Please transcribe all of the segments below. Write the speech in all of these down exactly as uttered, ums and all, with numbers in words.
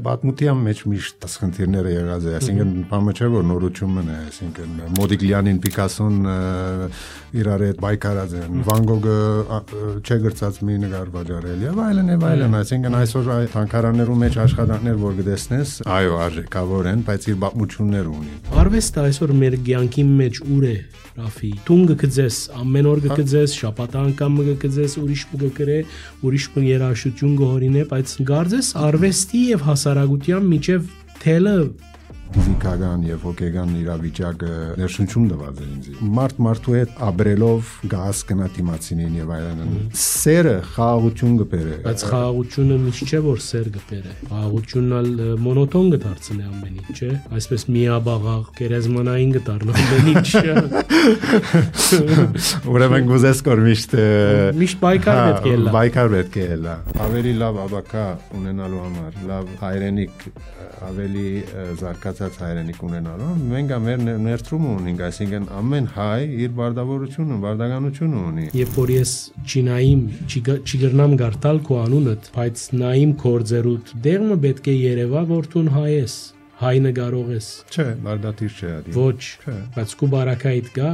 Պատմության մեջ միշտ խնդիրները եղած է, այսինքն բանը չէ որ նորություն է, այսինքն Մոդիգլյանին, Պիկասոն իրար հետ բայկարած են, Վան Գոգը չէ գրծած մի նկար վաճառել եւ այլն եւ այլն, այսինքն այսօր թանգարաններում մեջ աշխատանքներ որ գտեսնես, այո, արժեքավոր են, բայց իր պատմություններ ունի։ Արվեստը այսօր մեր կյանքի մեջ ուր է, Ռաֆի, տունը գծես, ամեն օր գծես, շաբաթ անգամ գծես, ուրիշ մը գրե, ուրիշ մը երաժշտություն գորինե, բայց գարձես արվեստի եւ հասարակության միջև թելը ֆիզիկական եւ հոգեգան իրավիճակը ներշնչում տված է ինձ։ Մարդ մարդու հետ ապրելով գաս կնա դիմացինին եւ այլն։ Սերը խաղաղություն կբերե։ Բայց խաղաղությունը միշտ չէ որ սեր կբերե։ Խաղաղությունն ալ մոնոտոն կդարձնի ամեն ինչ, չէ։ Այսպես միաբաղաղ, գերեզմանային կդառնա ամեն ինչ։ Ուրեմն գուզես կոր միշտ միշտ բայկար պետք է լա։ Բայկար պետք է լա։ Ավելի լավ աբակա ունենալու համար, լավ հայրենիք, ավելի զարգացած հայրենիք ունենալու, մենք մեր ներդրումը ունենք, այսինքն ամեն հայ իր բարդավորությունը, բարդականությունը ունի։ Երբ որ ես չինայիմ, չգրնամ գարտալ քո անունդ, բայց նայիմ կորձերուտ, դեղը պետք է երևա, որ դու հայ ես, հայ նկարող ես։ Չէ, բարդատիր չէ ադի։ Ոչ, բայց քո բարակայիդ գա։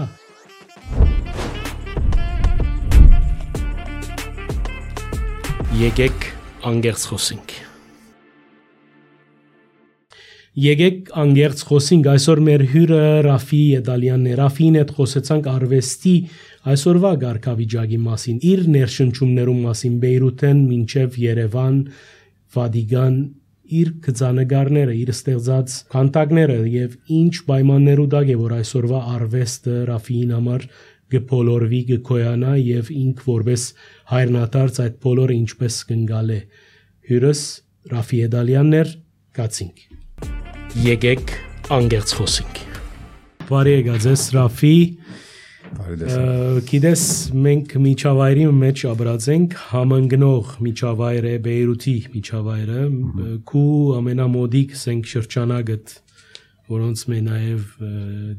Եկեք անգերց խոսենք։ Եկեք անգերց խոսենք, այսօր մեր հյուրը Ռաֆի Եդալյանն է, Ռաֆին հետ խոսեցանք արվեստի այսօրվա գարքավիճակի մասին, իր ներշնչումներում մասին, Բեյրութեն մինչև Երևան, Վադիգան, իր գծանկարները, իր ստեղծած քանդակները եւ ինչ պայմաններու դակ է որ այսօրվա արվեստը Ռաֆիին համար գփոլորվի, գկոյանա եւ ինք որպես հայրենադարձ այդ բոլորը ինչպես կնգալ է։ Հյուրս Ռաֆի Եդալյանն էր, կացինք։ Եկեք անգերց խոսենք։ Բարի եկած ես Ռաֆի։ Գիտես մենք միջավայրի մեջ ապրած ենք, համընկնող միջավայր է Բեյրութի միջավայրը, քու ամենամոդիկ սենք շրջանագդ, որոնց մե նաև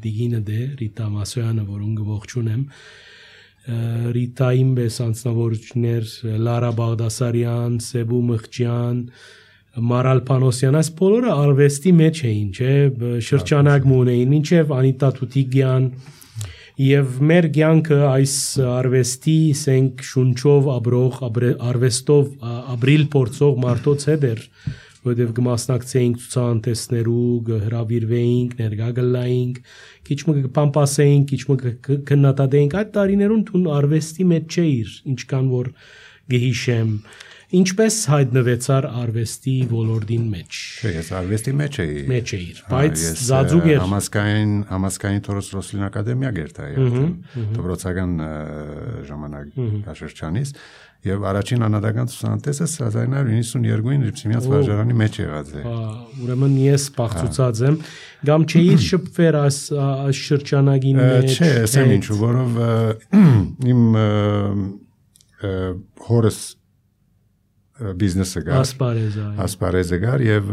Դիգինը դե Ռիտա Մասոյանը, որուն գողջունեմ, Ռիտային պես անձնավորություններ Լարա Բաղդասարյան, Սեբու Մխջյան, Մարալ Պանոսյան, այս բոլորը արվեստի մեջ էին, չէ, շրջանակ ունեին, մինչև Անիտա Թութիգյան եւ մեր կյանքը այս արվեստի սենք շունչով ապրող արվեստով ապրիլ փորձող մարդոց հետ էր, որտեղ կմասնակցեինք ցուցահանդեսներու, կհրավիրվեինք, ներկա գլայինք, քիչ մը կպամպասեինք, քիչ մը կնատադեինք, այդ տարիներուն տուն արվեստի մեջ չէիր, ինչքան որ գհիշեմ, ինչպես հայտնվեցար արվեստի ոլորտին մեջ։ Չէ, ես արվեստի մեջ էի։ Մեջ էիր, բայց զածուկ էր։ Համասկային, համասկային Թորոս Ռոսլին ակադեմիա գերտա, դպրոցական ժամանակաշրջանից, եւ առաջին անհատական ցուցահանդեսը հազար ինը հարյուր իննսունյոթին Ռիփսիմյանց վարժարանի մեջ եղած է։ Ուրեմն ես բաղցուցած եմ, գամ չէիր շփվեր այս շրջանագի մեջ։ Չէ, ասեմ ինչու, որով իմ հորս բիզնեսը գար, ասպարեզը, ասպարեզը գար եւ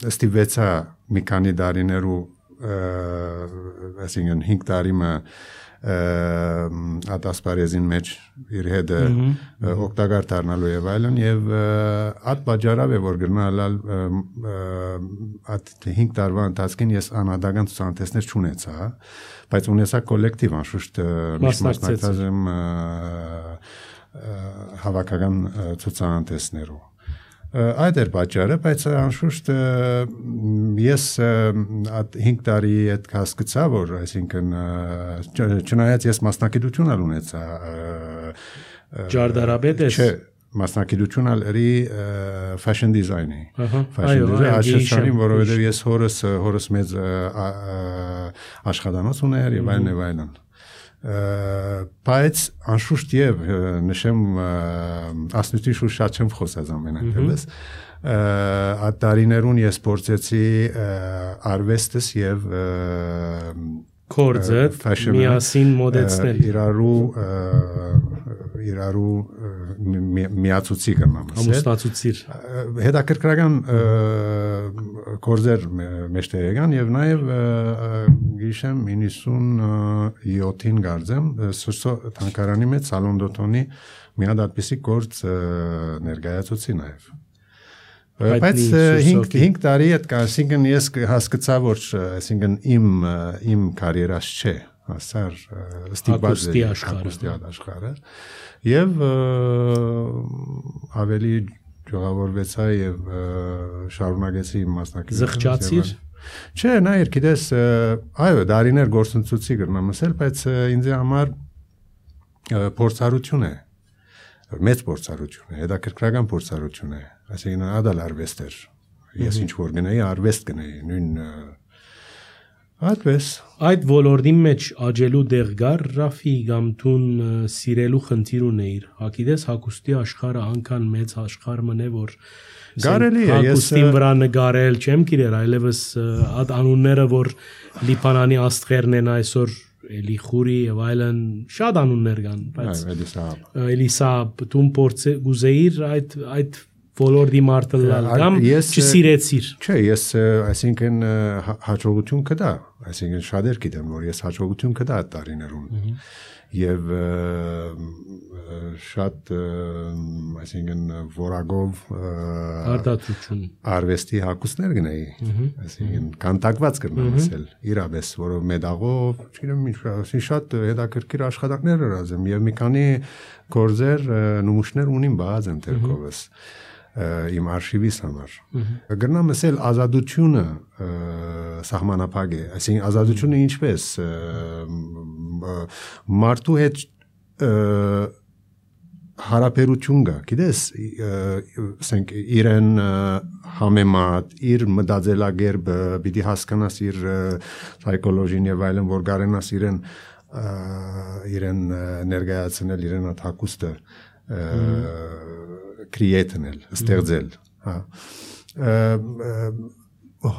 ստիվեցա մի քանի տարիներու, այսինքն հինգ տարի այդ ասպարեզին մեջ իր հետ օգտակար դառնալու եւ այլն եւ այդ բաժարավ է որ գնալ այդ հինգ տարվա ընթացքին ես անհատական ցուցահանդեսներ չունեցա, բայց ունեցա կոլեկտիվ անշուշտ միշտ մասնակցած եմ հավաքական ցուցահանդեսներով։ Այդ էր պատճառը, բայց անշուշտ ես այդ հինգ տարի այդ հասկացա, որ այսինքն չնայած ես մասնակցություն ունեցա Ջարդարաբեդ ես։ Չէ, մասնակցություն ալերի fashion design-ի։ Fashion design աշխարհին, որովհետև ես հորս հորս մեծ աշխատանոց ուներ եւ այլն եւ այլն։ Բայց անշուշտ եւ նշեմ ասնույթի շուտ շատ չեմ խոսած ամենայնպես այդ տարիներուն ես փորձեցի արվեստս եւ կորձը միասին մոդեցնել իրարու իրարու միացուցի կնամ ամուսնացուցիր հետաքրքրական կորձեր մեջտեղ եկան եւ նաեւ գիշեմ իննսունյոթին գարձեմ սուրսո թանկարանի մեջ Սալոն Դոթոնի մի հատ այդպիսի կորձ ներկայացուցի նաեւ Բայց հինգ տարի այդ կա, այսինքն ես հասկացա, որ այսինքն իմ իմ կարիերաս չէ, ասար ստիպված է հագուստի աշխարհը եւ ավելի ժողովրդեցա եւ շարունակեցի իմ մասնակցությունը։ Զղջացիր։ Չէ, նայր, գիտես, այո, դարիներ գործընծուցի կրնամ ասել, բայց ինձ համար փորձառություն է, մեծ փորձառություն է, հետաքրքրական փորձառություն է, այսինքն ադալ արվեստ էր, ես ինչ որ գնայի, արվեստ գնայի, նույն այդպես։ Այդ ոլորտի մեջ աճելու դեղ գար Ռաֆի կամ տուն սիրելու խնդիր ունեիր, հագիտես հագուստի աշխարհը անկան մեծ աշխարհ մնե, որ Գարելի է, ես հագուստին վրա նկարել չեմ գիրեր, այլևս այդ անունները, որ Լիբանանի աստղերն են այսօր էլի խուրի եւ այլն շատ անուններ կան, բայց Էլիսաբ տուն փորձ գուզեիր այդ այդ ոլորտի մարտը լալ կամ չսիրեցիր։ Չէ, ես այսինքն հաջողություն կդա, այսինքն շատեր գիտեմ, որ ես հաջողություն կդա այդ տարիներում եւ շատ այսինքն որակով արտադրություն արվեստի հագուստներ գնայի, այսինքն կանտակված կրնամ ասել, իրապես, որով մեդաղով, չգիտեմ ինչ, շատ հետաքրքիր աշխատանքներ արածեմ եւ մի քանի գործեր նմուշներ ունիմ բաց եմ թերքովս իմ արխիվիս համար։ Գրնամ ասել ազատությունը սահմանափակ է, այսինքն ազատությունը ինչպես մարդու հետ հարաբերություն կա, գիտես, ասենք իրեն համեմատ, իր մտածելակերպը, պիտի հասկանաս իր psychology-ն եւ այլն, որ կարենաս իրեն իրեն ներկայացնել իրեն այդ հագուստը create-նել, ստեղծել, հա։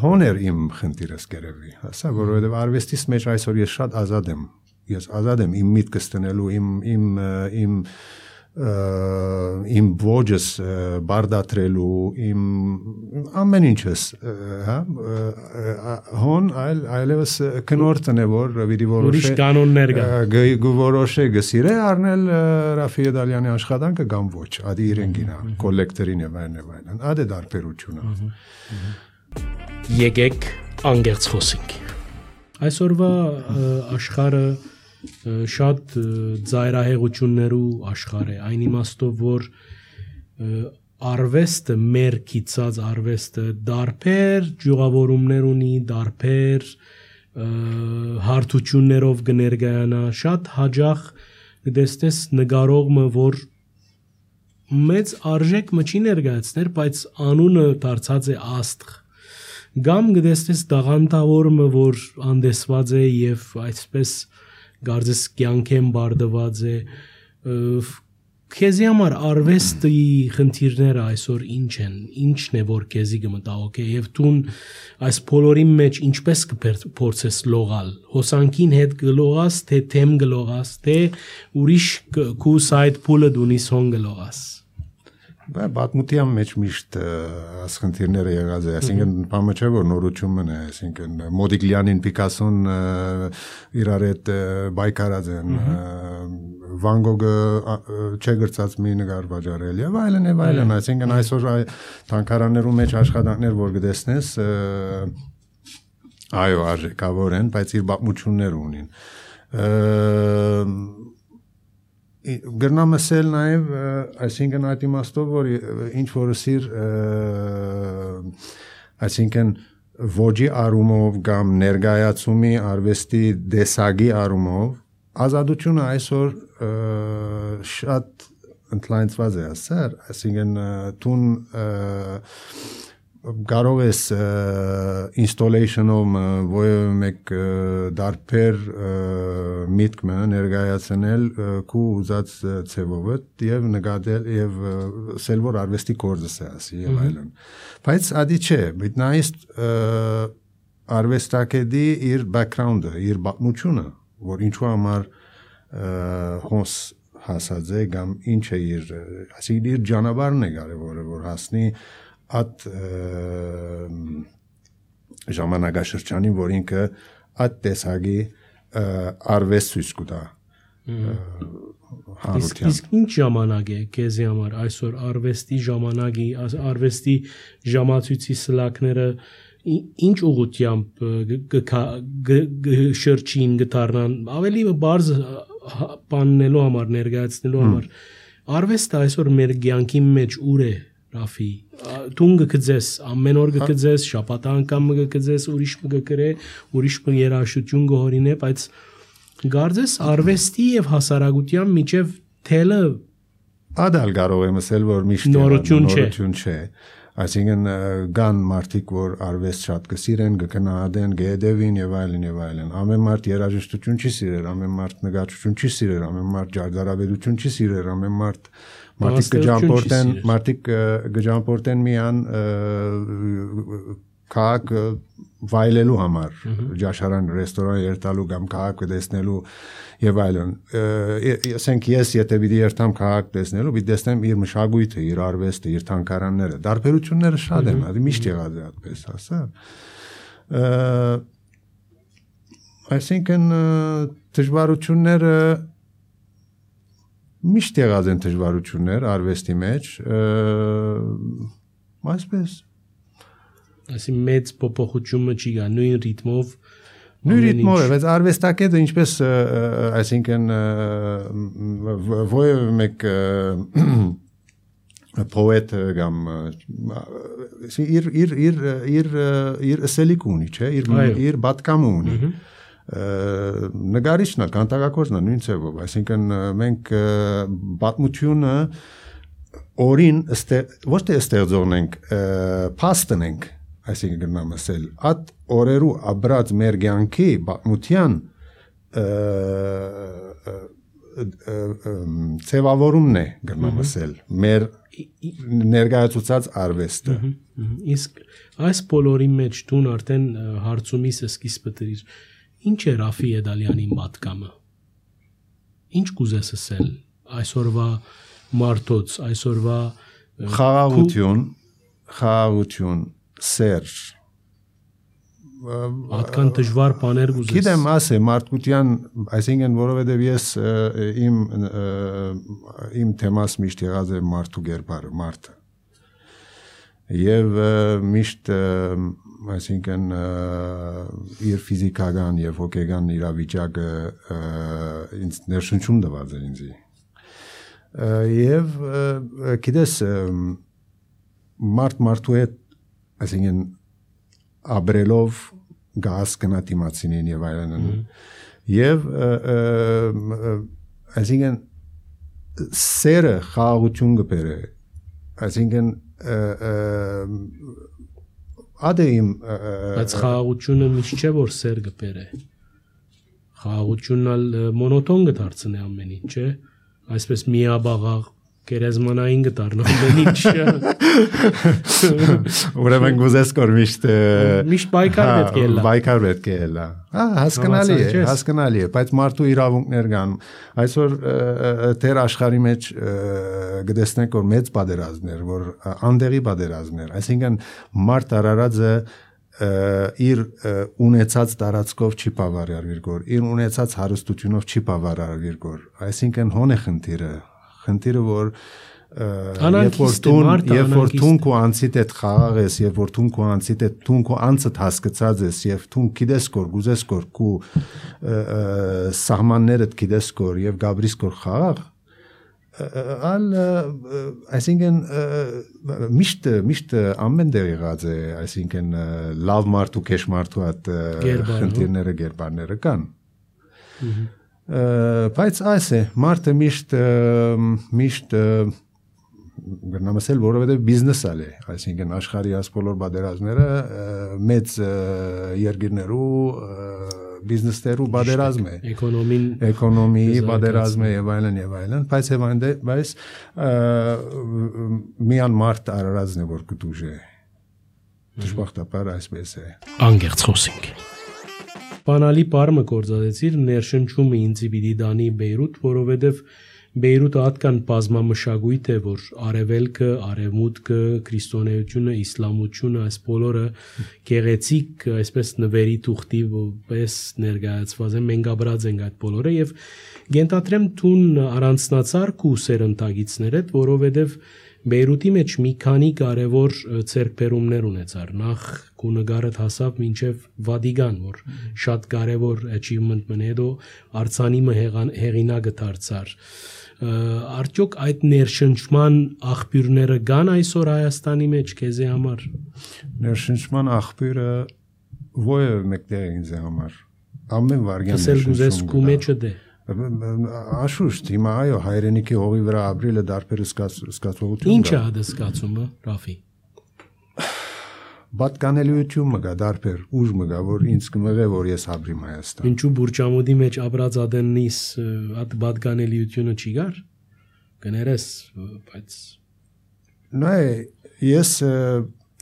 Հոներ իմ խնդիրս գերեւի, հասա, որովհետեւ արվեստից մեջ այսօր ես շատ ազատ եմ, ես ազատ եմ իմ միտքս տնելու, իմ իմ իմ իմ ոճս բարդատրելու, իմ ամեն ինչս, հա, հոն այլ այլևս կնորտն է, որ պիտի որոշե կանոններ կա, որոշե գսիրե առնել Ռաֆի Դալյանի աշխատանքը կամ ոչ, ադի իրեն գինա, կոլեկտորին եւ այլն եւ այլն, ադե դարբերությունը։ Եկեք անգերց խոսենք։ Այսօրվա աշխարհը շատ ծայրահեղություններու աշխարհ է, այն իմաստով, որ արվեստը, մեր կիցած արվեստը դարբեր ջուղավորումներ ունի, դարբեր հարթություններով կներկայանա, շատ հաջող կտեսնես նկարողը, որ մեծ արժեք մը չի ներկայացներ, բայց անունը դարձած է աստղ, կամ կտեսնես դաղանտավորը, որ անդեսված է եւ այսպես Գարձես կյանքեն բարդված է, քեզի համար արվեստի խնդիրները այսօր ինչ են, ինչն է, որ քեզի կմտահոգ է, եւ տուն այս բոլորի մեջ ինչպես կփորձես լողալ, հոսանքին հետ կլողաս, թե թեմ կլողաս, թե ուրիշ քու սայդ փուլը դունիս հոն կլողաս։ Բա պատմության մեջ միշտ ասխնդիրները եղած է, այսինքն բանը չէ որ նորություն է, այսինքն Մոդիգլյանին, Պիկասոն իրար հետ բայկարած են, Վան Գոգը չէ գրծած մի նկար վաճառել եւ այլն եւ այլն, այսինքն այսօր թանգարաններում մեջ աշխատանքներ որ գտեսնես, այո, արժեքավոր են, բայց իր պատմություններ ունին։ Գրնամ ասել նաև, այսինքն այդ իմաստով, որ ինչ որ սիր, այսինքն ոճի առումով կամ ներկայացումի արվեստի դեսագի առումով, ազատությունը այսօր շատ ընդլայնված է, ասար, այսինքն տուն կարող ես installation-ով որևէ մեկ դարբեր միտքը ներկայացնել քու ուզած ցևով եւ նկատել եւ ասել որ արվեստի գործս է ասի եւ այլն բայց ադի չէ միտնայից արվեստակեդի իր background-ը իր պատմությունը որ ինչու համար հոս հասած է կամ ինչ է իր ասի իր ճանապարհն է կարևորը որ հասնի at ժամանակաշրջանին, որ ինքը at տեսակի արվեստ ցույց կտա հարության։ Իսկ ինչ ժամանակ է քեզի համար այսօր արվեստի ժամանակի, արվեստի ժամացույցի սլակները ինչ ուղղությամբ շրջին գտարնան, ավելի բարձ բաննելու համար, ներկայացնելու համար։ Արվեստը այսօր մեր կյանքի մեջ ուր է, Ռաֆի։ Դու գկձես, ամեն օր գկձես, շաբաթ անգամ գկձես, ուրիշ կգրե, ուրիշ երաժշտություն գորինե, բայց Գարձես արվեստի եւ հասարակության միջև թելը ադալ կարող եմ ասել, որ միշտ նորություն չէ։ Այսինքն կան մարդիկ, որ արվեստ շատ կսիրեն, կգնահատեն, կհետևին եւ այլն եւ այլն։ Ամեն մարդ երաժշտություն չի սիրեր, ամեն մարդ նկարչություն չի սիրեր, ամեն մարդ ջարդարավետություն չի սիրեր, ամեն մարդ մարդիկ կջամփորդեն, մարդիկ կջամփորդեն միան քաղաք վայելելու համար, ջաշարան, ռեստորան երթալու կամ քաղաք տեսնելու եւ այլն։ Ասենք ես եթե պիտի երթամ քաղաք տեսնելու, պիտի տեսնեմ իր մշակույթը, իր արվեստը, իր թանգարանները։ Դարբերությունները շատ են, հա, միշտ եղած է այդպես, ասա։ Այսինքն դժվարությունները միշտ եղած են դժվարություններ արվեստի մեջ, այսպես Այսի մեծ փոփոխությունը չի գա նույն ռիթմով նույն ռիթմով է, բայց արվեստակետը ինչպես այսինքն ովը մեկ պոետ կամ իր իր իր իր իր ասելիք ունի, չէ, իր իր բատկամ ունի նկարիչն է, կանտակագործն է նույն ձևով, այսինքն մենք պատմությունը օրին ոչ թե ստեղծողն ենք, փաստն ենք այսինքն գնամ ասել, այդ օրերու աբրած մեր կյանքի պատմության ձևավորումն է գնամ ասել, մեր ներկայացուցած արվեստը։ Իսկ այս բոլորի մեջ դու արդեն հարցումիս սկիզբը դրիր, ինչ է Ռաֆի Էդալյանի մատկամը։ Ինչ կուզես ասել այսօրվա մարդոց, այսօրվա խաղաղություն, խաղաղություն Սեր Ատկան դժվար բաներ գուզես։ Գիտեմ, ասե մարդկության, այսինքն որովհետև ես իմ իմ թեմաս միշտ եղած է մարդու գերբարը, մարդը։ Եվ միշտ այսինքն իր ֆիզիկական եւ հոգեկան իրավիճակը ինձ ներշնչում տված է ինձ։ Եվ գիտես մարդ մարդու հետ այսինքն աբրելով գազ կնատիմացինին եւ այլն եւ այսինքն սերը խաղաղություն կբերե այսինքն ադեիմ բայց խաղաղությունը միշտ չէ որ սեր կբերե խաղաղությունն ալ մոնոտոն կդարձնի ամեն ինչ չէ այսպես միաբաղաղ Կերեզմանային գտարն ամեն ինչ։ Ուրեմն գուզես կոր միշտ միշտ բայկար պետք է լա։ Բայկար պետք է լա։ Հա, հասկանալի է, հասկանալի է, բայց մարդու իրավունքներ կան։ Այսօր դեր աշխարհի մեջ գտեսնենք որ մեծ պատերազմներ, որ անդեղի պատերազմներ, այսինքն մարդ արարածը իր ունեցած տարածքով չի բավարարվիր գոր, իր ունեցած հարստությունով չի բավարարվիր գոր։ Այսինքն հոն է խնդիրը Խնդիրը որ երբ որ տուն երբ որ տունք ու անցիդ հետ խաղաղ ես եւ որ տունք ու անցիդ հետ տունք ու անցդ հասկացած ես եւ տունք գիտես կոր գուզես կոր կու սահմաններդ գիտես կոր եւ գաբրիս կոր խաղաղ ալ այսինքն միշտ միշտ ամեն դեր եղած է այսինքն լավ մարդ ու քեշ մարդու հատ խնդիրները գերբարները կան բայց այս է մարդը միշտ միշտ գտնամ ասել որովհետև բիզնես ալ է այսինքն աշխարհի այս բոլոր բادرազմները մեծ երկրներու բիզնեսներու բادرազմ է էկոնոմին էկոնոմիի բادرազմ է եւ այլն եւ այլն բայց եւանդե բայց միան մարդ արարածն է որ կդուժե դժբախտաբար այսպես է անգերց խոսենք Բանալի բառը գործածեցիր ներշնչումը ինձի պիտի դանի Բեյրութ, որովհետև Բեյրութը հատկան բազմամշակույթ է, որ արևելքը, արևմուտքը, քրիստոնեությունը, իսլամությունը, այս բոլորը գեղեցիկ, այսպես նվերի թուղթի պես ներկայացված են, մենք ապրած ենք այդ բոլորը եւ գենտատրեմ տուն առանցնացար քու սերնդագիցներ հետ, որովհետեւ Բեյրութի մեջ մի քանի կարևոր ցերկբերումներ ունեցար։ Նախ քու նկարդ հասավ մինչև Վատիկան, որ շատ կարևոր achievement մն հետո արձանիմը հեղինակը դարձար։ Արդյոք այդ ներշնչման աղբյուրները կան այսօր Հայաստանի մեջ քեզի համար։ Ներշնչման աղբյուրը ո՞ը մեկտեղ ինձ համար։ Ամեն վարյան ներշնչում։ Ասել գուզես քու մեջը դե։ Աշուշտ, հիմա այո, հայրենիքի հողի վրա ապրելը դարբեր զգացողություն։ Ինչ է դա զգացումը, Ռաֆի։ Պատկանելիություն մգա դարբեր, ուժ մգա, որ ինձ կմղե, որ ես ապրիմ Հայաստան։ Ինչու բուրճամուդի մեջ ապրած ադեննիս այդ պատկանելիությունը չի գար։ Կներես, բայց նայ ես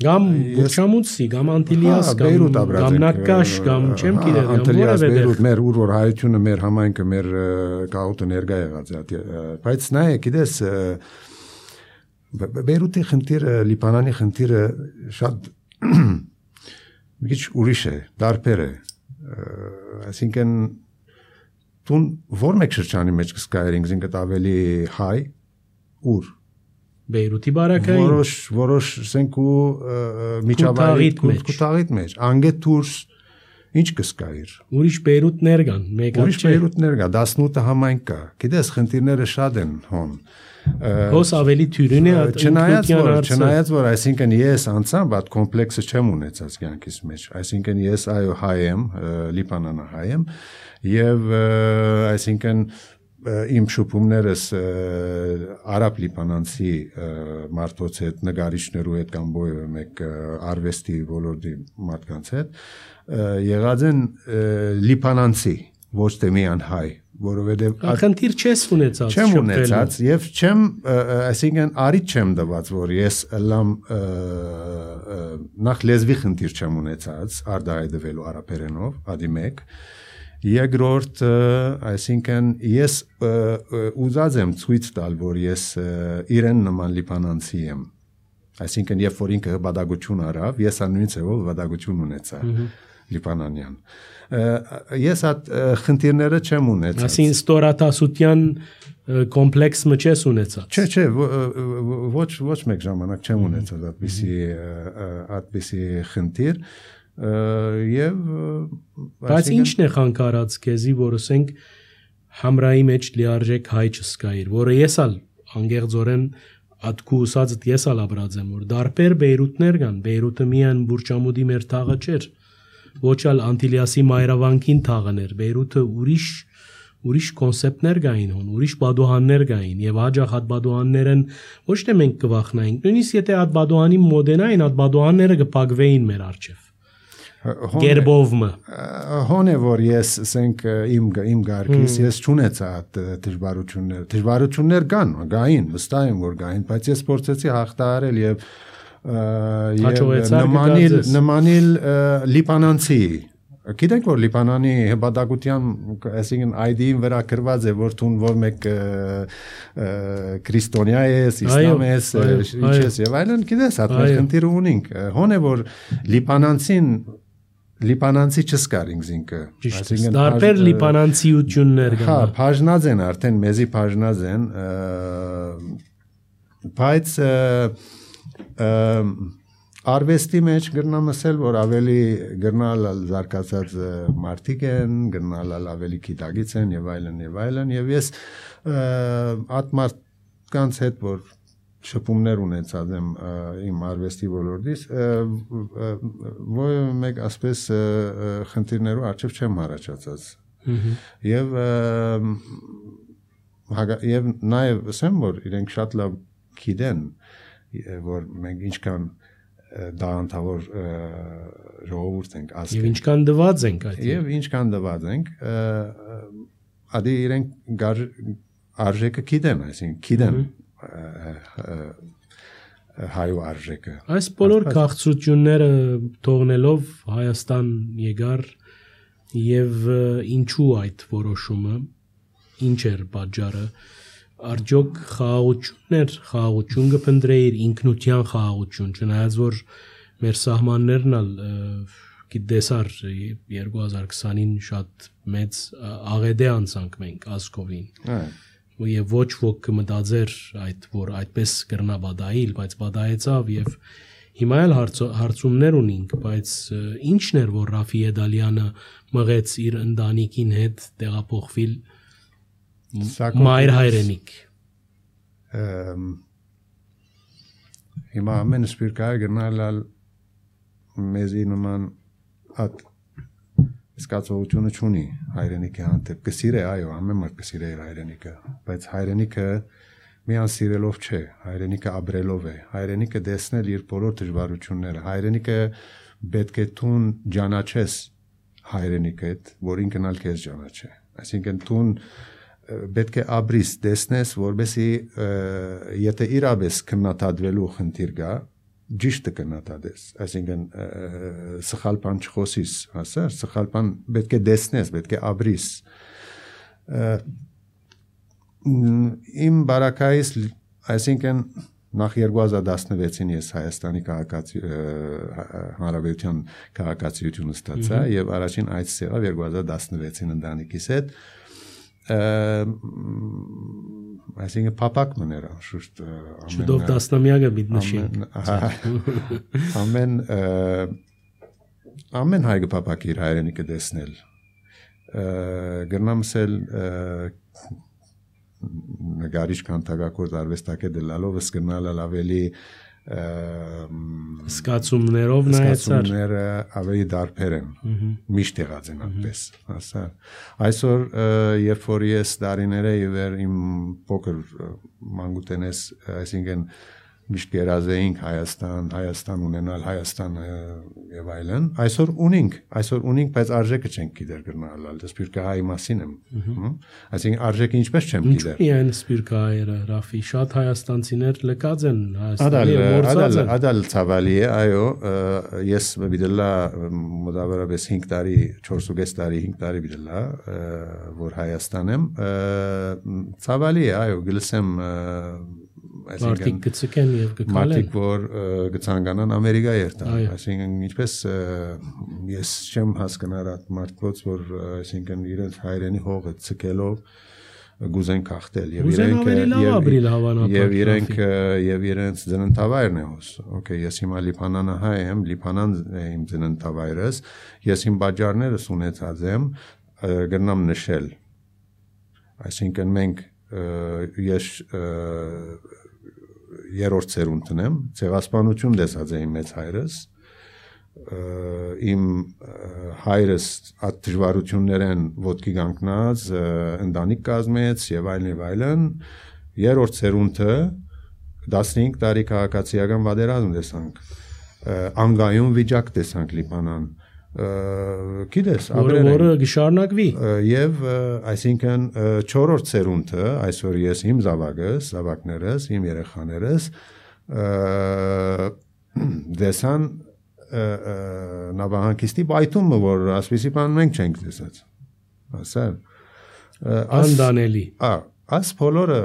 Գամ Բուրչամուտսի, գամ Անտիլիաս, գամ Նակաշ, գամ չեմ գիտեմ, Անտիլիաս, Բեյրութ, մեր ուր որ հայությունը, մեր համայնքը, մեր գաղութը ներկա եղած է, բայց նայ, գիտես, Բեյրութի խնդիրը, Լիբանանի խնդիրը շատ մի քիչ ուրիշ է, դարբեր է, այսինքն տուն որ մեկ շրջանի մեջ կսկայր ինքնին ավելի հայ, ուր Բեյրութի բարակային որոշ որոշ ասենք ու միջավայրի կուտաղիտ մեջ անգետ դուրս ինչ կսկայր ուրիշ Բեյրութներ կան մեկ ուրիշ Բեյրութներ կա տասնութ համայնք կա գիտես խնդիրները շատ են հոն հոս ավելի թյուրին է չնայած որ չնայած որ այսինքն ես անցամ բադ կոմպլեքսը չեմ ունեցած կյանքիս մեջ այսինքն ես այո հայ եմ լիբանանա հայ եմ եւ այսինքն իմ շփումներս արաբ լիբանանցի մարդոց հետ նկարիչներու հետ կամ բոյը մեկ արվեստի ոլորտի մարդկանց հետ եղած են լիբանանցի ոչ թե միան հայ որովհետեւ խնդիր չես ունեցած չեմ ունեցած եւ չեմ այսինքն արիտ չեմ դված որ ես լամ նախ լեզվի խնդիր չեմ ունեցած արդահայտվելու արաբերենով ադի մեկ Երկրորդ, այսինքն ես ուզած եմ ցույց տալ, որ ես իրեն նման լիբանանցի եմ։ Այսինքն երբ որ ինքը հպատակություն արավ, ես նույն ձևով հպատակություն ունեցա լիբանանյան։ Ես այդ խնդիրները չեմ ունեցած։ Այսինքն ստորատասության կոմպլեքս մչես ունեցած։ Չէ, չէ, ոչ ոչ մեկ ժամանակ չեմ ունեցած այդպիսի այդպիսի խնդիր եւ բայց ինչն է խանգարած քեզի որ ասենք համրայի մեջ լիարժեք հայ չսկայր որը եսալ անգեղձորեն ատկու ուսածդ եսալ ապրած եմ որ դարբեր Բեյրութներ կան Բեյրութը միան Բուրճամուդի մեր թաղը չէր ոչալ Անտիլիասի մայրավանքին թաղն էր Բեյրութը ուրիշ ուրիշ կոնցեպտներ կային հոն ուրիշ բադոհաններ կային եւ հաջող հատ բադոհաններն ոչ թե մենք կվախնայինք նույնիսկ եթե հատ բադոհանի մոդենային հատ բադոհանները կփակվեին մեր արչեւ Գերբովը հոն է որ ես ասենք իմ իմ գարկիս ես չունեցա այդ դժվարություններ դժվարություններ կան գային վստահ եմ որ գային բայց ես փորձեցի հաղթահարել եւ եւ նմանիլ նմանիլ լիբանանցի գիտեք որ լիբանանի հպատակության այսինքն այ դի-ին վրա գրված է որ տուն որ մեկ քրիստոնյա է իսլամ է ինչ է եւ այլն գիտես այդ խնդիրը ունենք հոն է որ լիբանանցին Լիբանանցի չսկար ինքնինքը այսինքն դարբեր լիբանանցիություններ կան հա բաժնած են արդեն մեզի բաժնած են բայց արվեստի մեջ գրնամ ասել որ ավելի գրնալ զարգացած մարդիկ են գրնալ ավելի գիտագից են եւ այլն եւ այլն եւ ես այդ մարդկանց հետ որ շփումներ ունեցած եմ իմ արվեստի ոլորտից ոյ մեկ ասպես խնդիրներով արժեվ չեմ առաջացած եւ եւ նաեւ ասեմ որ իրենք շատ լավ գիտեն որ մենք ինչքան դանդավոր ժողովուրդ ենք ասել եւ ինչքան դված ենք այդ եւ ինչքան դված ենք ադի իրենք արժեքը գիտեն այսինքն գիտեն հայու արժեքը այս բոլոր քաղցրությունները թողնելով Հայաստան եկար եւ ինչու այդ որոշումը ինչ էր պատճառը Արդյոք խաղաղություններ, խաղաղություն կփնտրեիր ինքնության խաղաղություն, չնայած որ մեր սահմաններն ալ գիտեսար երկու հազար քսանին շատ մեծ աղեդե անցանք մենք ազգովին։ Եվ ոչ ոք կմտածեր այդ որ այդպես կրնա բադայիլ, բայց բադայեցավ եւ հիմա էլ հարցումներ ունենք, բայց ինչն էր որ Ռաֆի Էդալյանը մղեց իր ընտանիքին հետ տեղափոխվել մայր հայրենիք։ Հիմա ամեն սպիրկայ գնալ մեզի նման at զգացողությունը չունի հայրենիքի հանդեպ կսիրե այո ամեն մարդ կսիրե իր հայրենիքը բայց հայրենիքը միան սիրելով չէ հայրենիքը ապրելով է հայրենիքը դեսնել իր բոլոր դժվարությունները հայրենիքը պետք է տուն ճանաչես հայրենիքդ որ ինքն ալ քեզ ճանաչե այսինքն տուն պետք է ապրիս դեսնես որբեսի եթե իրապես քննադատվելու խնդիր կա ճիշտը կնատադես, այսինքն սխալ բան չխոսիս, հասար, սխալ բան պետք է դեսնես, պետք է ապրիս։ Իմ բարակայից, այսինքն նախ երկու հազար տասնվեցին ես Հայաստանի Հանրապետության քաղաքացիություն ստացա եւ առաջին այցս եղավ երկու հազար տասնվեցին ընտանիքիս հետ այսինքն փապակ մներա շուտ շուտով տասնամյակը պիտի նշենք ամեն ամեն հայ փապակ իր հայրենիքը դեսնել գրնամսել նկարիչ կանտակակորդ արվեստագետ դալով սկնալ ավելի Սկացումներով նայեցար Սկացումները ավելի դարբեր են միշտ եղած են այդպես հասա այսօր երբ որ ես դարիները իվեր իմ փոքր մանկուտենես այսինքն միշտ գերազեինք Հայաստան Հայաստան ունենալ Հայաստան եւ այլն այսօր ունենք այսօր ունենք բայց արժեքը չենք գիտեր գնալ սպիրկահայի մասին եմ այսինքն արժեքը ինչպես չեմ գիտեր Ինչու՞ սպիրկահայերը Ռաֆի շատ հայաստանցիներ լկած են Հայաստանի մորցած են Ադալ ցավալի է այո ես բիդելա մոտավորապես հինգ տարի չորս ու կես տարի հինգ տարի բիդելա որ Հայաստան եմ ցավալի է այո գլսեմ Մարդիկ գցկեն եւ գկալեն Մարդիկ որ գցանկանան Ամերիկա երթան այսինքն ինչպես ես չեմ հասկանում այդ մարդոց որ այսինքն իրենց հայրենի հողը ցկելով գուզեն կախտել եւ իրենք եւ իրենք եւ իրենց ծննդավայրն է հոս օքեյ ես հիմա Լիբանանը հայ եմ Լիբանան իմ ծննդավայրս ես իմ բաժարներս ունեցած եմ գտնամ նշել այսինքն մենք ես երրորդ սերունդն եմ ցեղասպանություն տեսած եմ մեծ հայրս իմ հայրս այդ դժվարություններն ոտքի կանգնած ընտանիք կազմեց եւ այլն եւ այլն երրորդ սերունդը տասնհինգ տարի քաղաքացիական վատերազմ տեսանք անգայուն վիճակ տեսանք Լիբանան գիտես որը գշարնակվի եւ այսինքն չորրորդ սերունդը այսօր ես իմ զավակս զավակներս իմ երեխաներս դեսան նավահանգիստի բայթումը որ ասպիսի բան մենք չենք տեսած ասա անդանելի ա աս բոլորը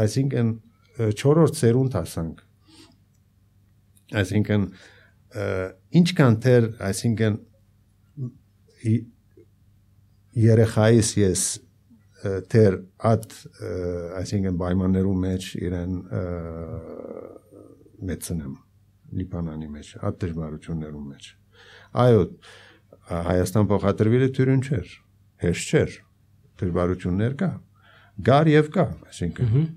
այսինքն չորրորդ սերունդ ասանք այսինքն ինչքան թեր այսինքն երեխայիս ես թեր at այսինքն պայմաններու մեջ իրեն մեծնեմ Լիբանանի մեջ at դժվարություններու մեջ այո Հայաստան փոխադրվելը թյուրին չէր հեշտ չէր դժվարություններ կա գար եւ կա այսինքն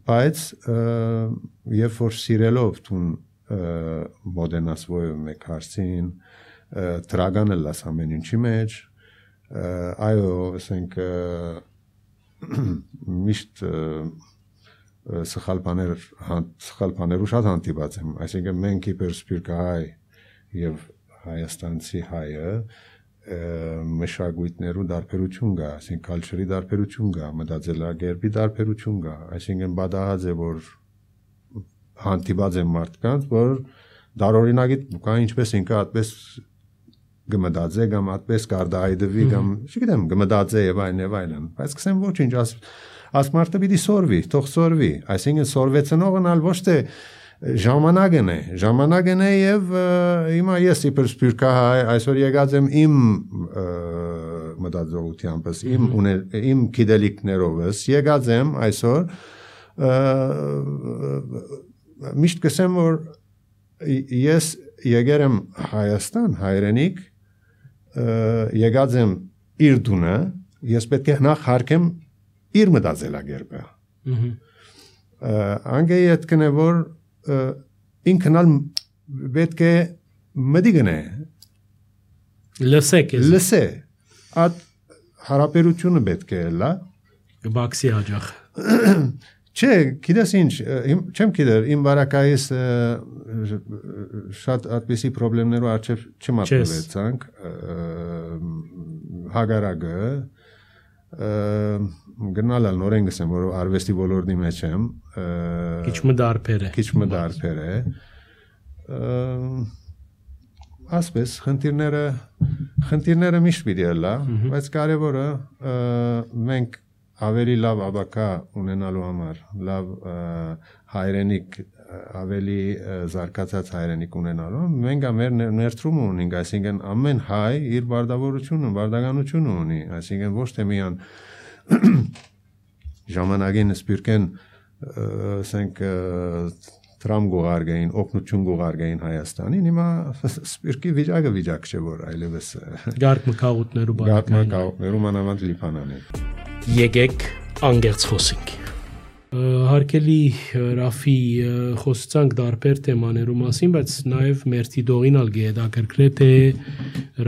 բայց երբ որ սիրելով տուն մոդենաս ոյ մեկ հարցին տրագանը լաս ամեն ինչի մեջ այո ասենք միշտ սխալ բաներ սխալ բաներու շատ հանդիպած եմ այսինքն մենք իբր սպիրկահայ եւ հայաստանցի հայը մշակույթներու դարբերություն կա այսինքն կալչրի դարբերություն կա մտածելակերպի դարբերություն կա այսինքն բադահած է որ հանդիպած եմ մարդկանց որ դարօրինակի կա ինչպես ինքը այդպես գմդածե կամ այդպես կարդայդվի կամ չգիտեմ գմդածե եւ այլն եւ այլն բայց կսեմ ոչինչ աս աս մարդը պիտի սորվի թող սորվի այսինքն սորվեցնողն ալ ոչ թե ժամանակն է ժամանակն է եւ հիմա ես իբր սպյուրքահայ այսօր եկած եմ իմ մտածողությանպես իմ իմ գիտելիքներովս եկած եմ այսօր միշտ կսեմ որ ես եկել եմ Հայաստան հայրենիք եկած եմ իր դունը ես պետք է նախ հարկեմ իր մտածելակերպը անգեի այդ կնե որ ինքն ալ պետք է մդիգնե լսեք լսե այդ հարաբերությունը պետք է լա բաքսի հաջախ չէ գիտես ինչ չեմ գիտեր իմ բարակայիս շատ այդպիսի խնդիրներով արժե չմատնվեցանք հագարագը գնալ նորեն գսեմ որ արվեստի ոլորտի մեջ եմ քիչ մդարբեր է քիչ մդարբեր է ասպես խնդիրները խնդիրները միշտ պիտի լա բայց կարևորը մենք ավելի լավ աբակա ունենալու համար լավ հայրենիք ավելի զարգացած հայրենիք ունենալու մենք ամեր ներդրում ունենք այսինքն ամեն հայ իր բարդավորությունը բարդականությունը ունի այսինքն ոչ թե միան ժամանակին սպյուրքեն ասենք տրամ գողարգային օգնություն գողարգային Հայաստանին հիմա սպյուրքի վիճակը վիճակ չէ որ այլևս գարկ մկաղուտներու գարկ մկաղուտներու մանավանդ լիփանանեն եկեք անգերց խոսենք հարկելի Ռաֆի խոսացանք դարբեր թեմաներու մասին բայց նաև մերթի դողինալ գեդակրկրե թե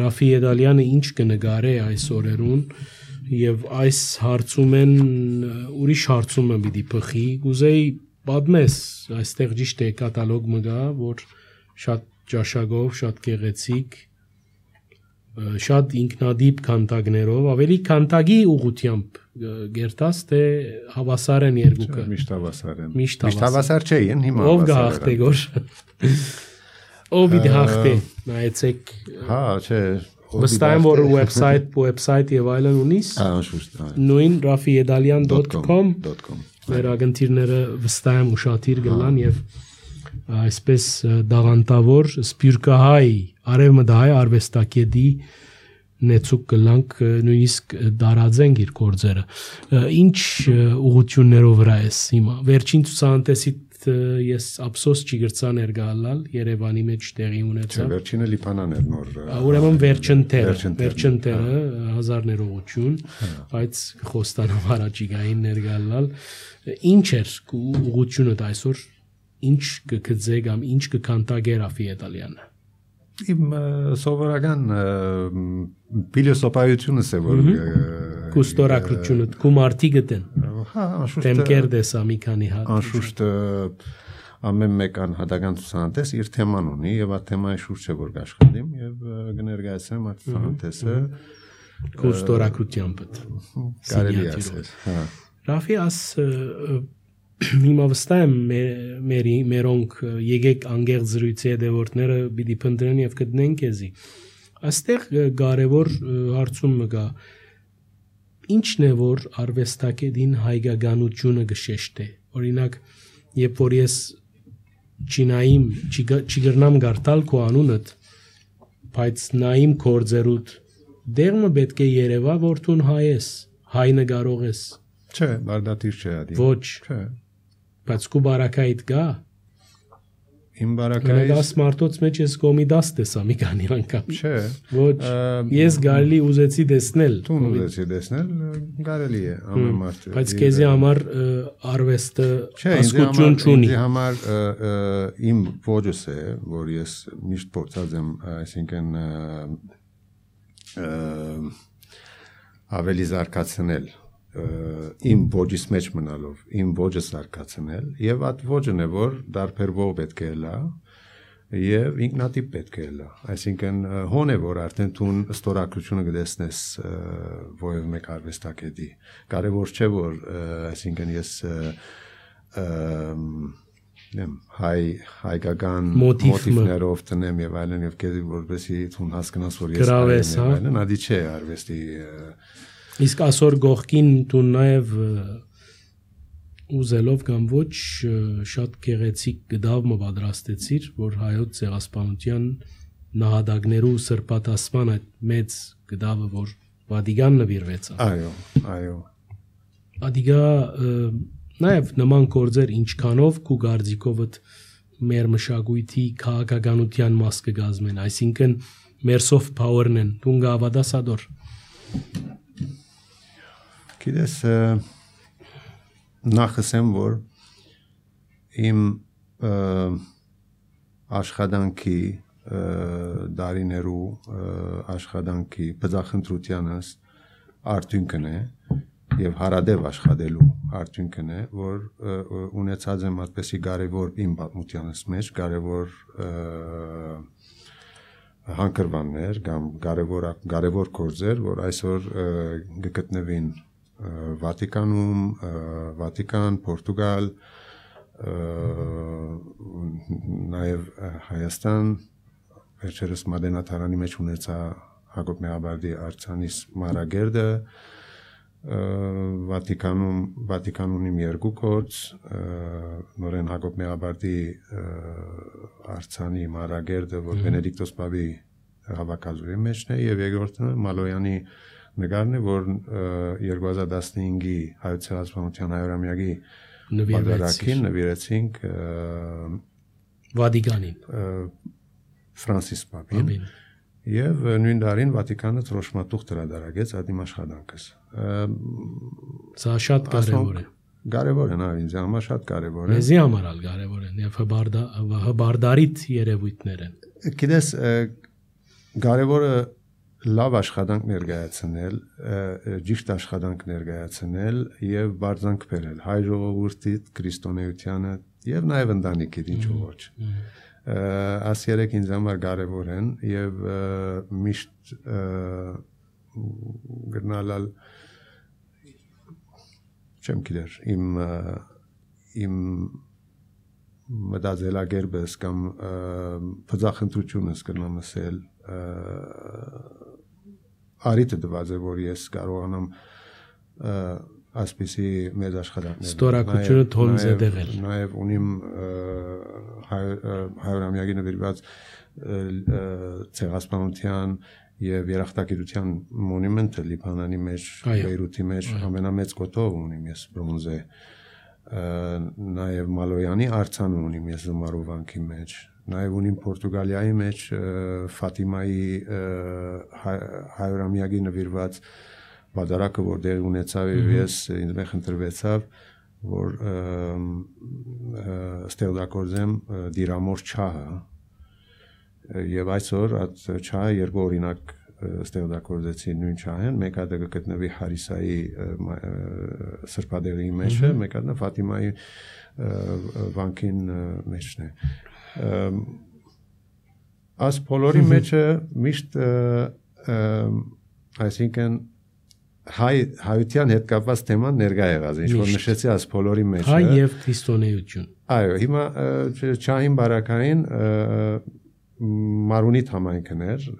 Ռաֆի Եդալյանը ինչ կնգարե այս օրերուն եւ այս հարցում են ուրիշ հարցումը պիտի փխի գուզեի պատմես այստեղ ճիշտ է կատալոգ մը գա որ շատ ճաշակով շատ գեղեցիկ շատ ինքնադիպ քանտակներով ավելի քանտակի ուղությամբ գերտաս թե հավասար են երկուքը միշտ հավասար են միշտ հավասար չէին հիմա ով գահտե գոր ով իդ հախտե նայեցեք հա չէ վստահ եմ որ website website եւ այլն ունիս անշուշտ նույն rafiedalian dot com վերագընթիրները վստահ եմ ուշադիր գլան եւ այսպես դաղանտավոր սպյուրքահայ արևմտահայ արվեստակետի նեցուկ կլանք նույնիսկ դարաձենք իր գործերը ինչ ուղություններով վրա ես հիմա վերջին ցուցանտեսի ես ափսոս չի գրծա ներգալալ Երևանի մեջ տեղի ունեցավ վերջինը Լիբանան էր նոր ուրեմն վերջնտերը վերջնտերը հազար ներողություն բայց խոստանամ առաջիկային ներգալալ ինչ էր ուղությունը այսօր ինչ կգծե կամ ինչ կքանտագեր Ռաֆի Եդալյանը իմ սովորական փիլիսոփայությունս է որ կուստորակրությունը կումարտի գտեն հա անշուշտ թեմքեր դեսա մի քանի հատ անշուշտ ամեն մեկ անհատական ցուցանտես իր թեման ունի եւ այդ թեմայի շուրջ է որ աշխատեմ եւ կներկայացնեմ այդ ցուցանտեսը կուստորակրությամբ կարելի է ասել հա Ռաֆի աս հիմա վստահ եմ մերի մերոնք եկեք անգերց զրույցի հետևորդները պիտի փնտրեն եւ գտնեն քեզի այստեղ կարևոր հարցում մը գա ինչն է որ արվեստակետին հայկականությունը գշեշտե օրինակ երբ որ ես չինայիմ չգրնամ գարտալ քո անունդ բայց նայիմ կորձերուտ դերմը պետք է երևա որ դու հայ ես հայ նկարող ես չէ բարդատիր չէ ադի ոչ չէ բայց կու բարակայիդ գա իմ բարակայից դաս մարտոց մեջ ես կոմի դաս տեսա մի քանի անգամ չէ ոչ ես գալի ուզեցի տեսնել դու ուզեցի տեսնել կարելի է ամեն մարդ բայց քեզի համար արվեստը հասկություն չունի ինձ համար իմ ոճս է որ ես միշտ փորձած եմ այսինքն ավելի զարգացնել իմ ոճից մեջ մնալով իմ ոճը զարգացնել եւ այդ ոճն է որ դարբերվող պետք է լա եւ ինքնատիպ պետք է լա այսինքն հոն է որ արդեն դու ստորակրությունը գտեսնես ովև մեկ արվեստակետի կարևոր չէ որ այսինքն ես չգիտեմ, հայ հայկական Մոտիվ- մոտիվներով տնեմ եւ այլն եւ քեզ որպեսի ցուն հասկանաս որ ես Գրավես, հայ եմ հա։ եւ այլն, ադի չէ արվեստի ը, Իսկ ասոր գողքին դու նաև ը, ուզելով կամ ոչ ը, շատ գեղեցիկ գդավ մը պատրաստեցիր, որ հայոց ցեղասպանության նահատակներու սրբատասման այդ մեծ գդավը, որ Վատիկան նվիրվեցավ։ այո, այո։ Ադիգա նաև նման գործեր ինչքանով քու գարձիկովդ մեր մշակույթի քաղաքականության մաս կգազմեն, այսինքն մեր soft power-ն են, դու գավադասադոր։ Գիտես ը, նախսեմ որ իմ ը, աշխատանքի ը, դարիներու ը, աշխատանքի բծախնդրությանս արդյունքն է եւ հարադեպ աշխատելու արդյունքն է որ ը, ը, ունեցած եմ այդպեսի կարևոր իմ պատմությանս մեջ կարևոր ը, հանգրվաններ կամ կարևոր կարևոր գործեր որ այսօր ը, գտնվին ը, Վատիկանում, ը, Վատիկան, Պորտուգալ, ը, նաև ը, Հայաստան, վերջերս Մադենատարանի մեջ ունեցա Հակոբ Մեհաբարդի արձանիս Մարագերդը, ը, Վատիկանում Վատիկան ունիմ երկու գործ, ը, նորեն Հակոբ Մեհաբարդի ը, արձանի Մարագերդը, որ Բենեդիկտոս Պապի հավաքածուի մեջն է եւ երկրորդը Մալոյանի նկարն է, որ ը, երկու հազար տասնհինգի հայոց ցեղասպանության հայրամյակի Նվիրվեցին նվիրեցինք ը, Վատիկանին։ ը, Ֆրանսիս Պապին Ամեն։ եւ նույն տարին Վատիկանը ծրոշմատուղ դրադարագեց ադիմ աշխատանքս։ Ը, Սա շատ կարևոր է։ Կարևոր է նա ինձ համար շատ կարևոր է։ Մեզի համար ալ կարևոր են եւ հբարդա հբարդարիտ երևույթներ են։ Գիտես ը, կարևորը լավ աշխատանք ներկայացնել, ը, ճիշտ աշխատանք ներկայացնել եւ բարձանք բերել հայ ժողովրդի քրիստոնեությանը եւ նաեւ ընտանիքիդ ինչու ոչ։ Ը, Աս երեք ինձ համար կարևոր են եւ ը, միշտ ը, գնալալ չեմ գիտեր իմ ը, իմ մտածելակերպս կամ ը, բծախնդրությունս կնամ ասել ը, արիտը դված է որ ես կարողանամ ը, այսպիսի մեծ աշխատանքներ Ստորակությունը թոն զետեղել։ Նաև ունիմ ը, հայ- ը, հայրամյակի նվիրված ը, ը, ցեղասպանության եւ երախտագիտության մոնումենտը Լիբանանի մեջ, Այո, Բեյրութի մեջ ամենամեծ կոթող ունիմ ես բրոնզե։ Ը, Նաև Մալոյանի արձան ունիմ ես Զմարովանքի մեջ։ Նաև ունիմ Պորտուգալիայի մեջ ը, Ֆատիմայի ը, հայ- հայրամյակի նվիրված բادرակը որ դեր ունեցավ եւ ես ինձ մեխ ընտրվեցավ որ ը, ը, ստեղծագործեմ ը, դիրամոր չահը եւ այսօր այդ չահը երկու օրինակ ը, ստեղծագործեցի նույն չահեն մեկը դա գտնվի Հարիսայի ը, մա- ը, սրբադեղի մեջ է մեկը նա Ֆատիմայի ը, վանքին ը, մեջն է Ըմ, Աս բոլորի մեջը միշտ ը, ը, այսինքն հայ հայության հետ կապված թեման ներկա եղած ինչ որ Միշտ։ նշեցի աս բոլորի մեջ Հայ եւ քրիստոնեություն։ այո հիմա ը, չ- չահին բարակային ը, Մարունիթ համայնքն էր ը,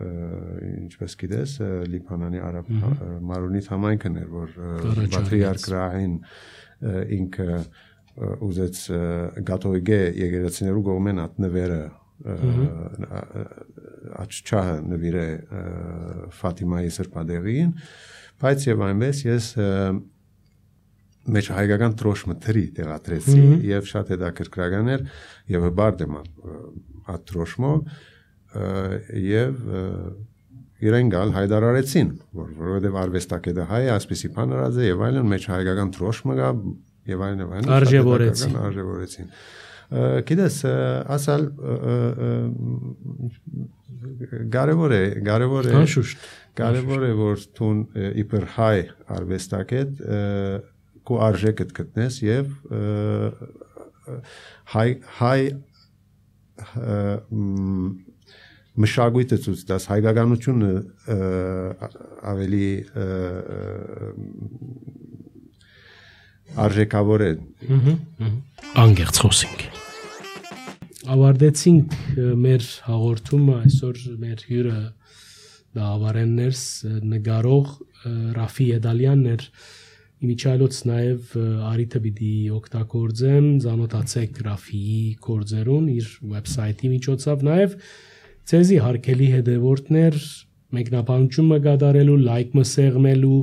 ինչպես գիտես ը, Լիբանանի արաբ ը, Մարունիթ համայնքն էր որ ը, Կառաջարկեց։ Պատրիարք Ռահին ը, ինքը ը, ուզեց ը, գաթողիկե եկեղեցիներու կողմեն ատնվերը աչչահը նվիրե ը, Ֆատիմայի սրբադեղին բայց եւ այնպես ես ը, մեջ հայկական տրոշմը թրի տեղադրեցի եւ շատ հետաքրքրական էր եւ հբարդ եմ այդ տրոշմով ը, եւ ը, իրեն գալ հայտարարեցին որ որովհետեւ արվեստագետը հայ է այսպեսի բան արած է եւ այլն մեջ հայկական տրոշմը կա եւ այլն եւ այլն Արժևորեցին։ արժևորեցին Ը, գիտես ը, ասալ ը, ը, ը, կարևոր է կարևոր է Անշուշտ։ կարևոր է որ տուն իբր հայ արվեստագետ ը, քո արժեքդ գտնես եւ ը, ը, հայ հայ ը, մ, մշակույթը ցույց տաս հայկականությունը ը, ավելի ը, ը, արժեքավոր է Անգերց խոսենք։ ավարտեցինք մեր հաղորդումը այսօր մեր հյուրը դա ավարեններս նգարող Ռաֆի Եդալյանն էր իմիջայլոց նաև արիթը պիտի օգտագործեմ ծանոթացեք Ռաֆիի գործերուն իր վեբսայթի միջոցով նաև ցեզի հարգելի հետևորդներ մեկնաբանությունը կատարելու լայքը սեղմելու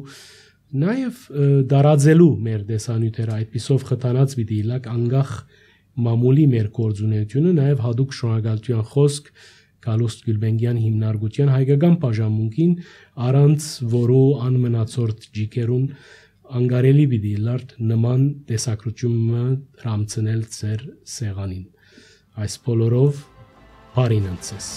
նաև դարաձելու մեր տեսանյութերը այդպիսով խթանած պիտի լակ անգախ մամուլի մեր գործունեությունը նաև հadoop շնորհակալության խոսք Գալուստ Գյուլբենգյան հիմնարկության հայկական բաժանմունքին առանց որու անմնացորդ ջիկերուն անգարելի պիտի լարդ նման տեսակրությունը հրամցնել ծեր սեղանին այս բոլորով բարին անցես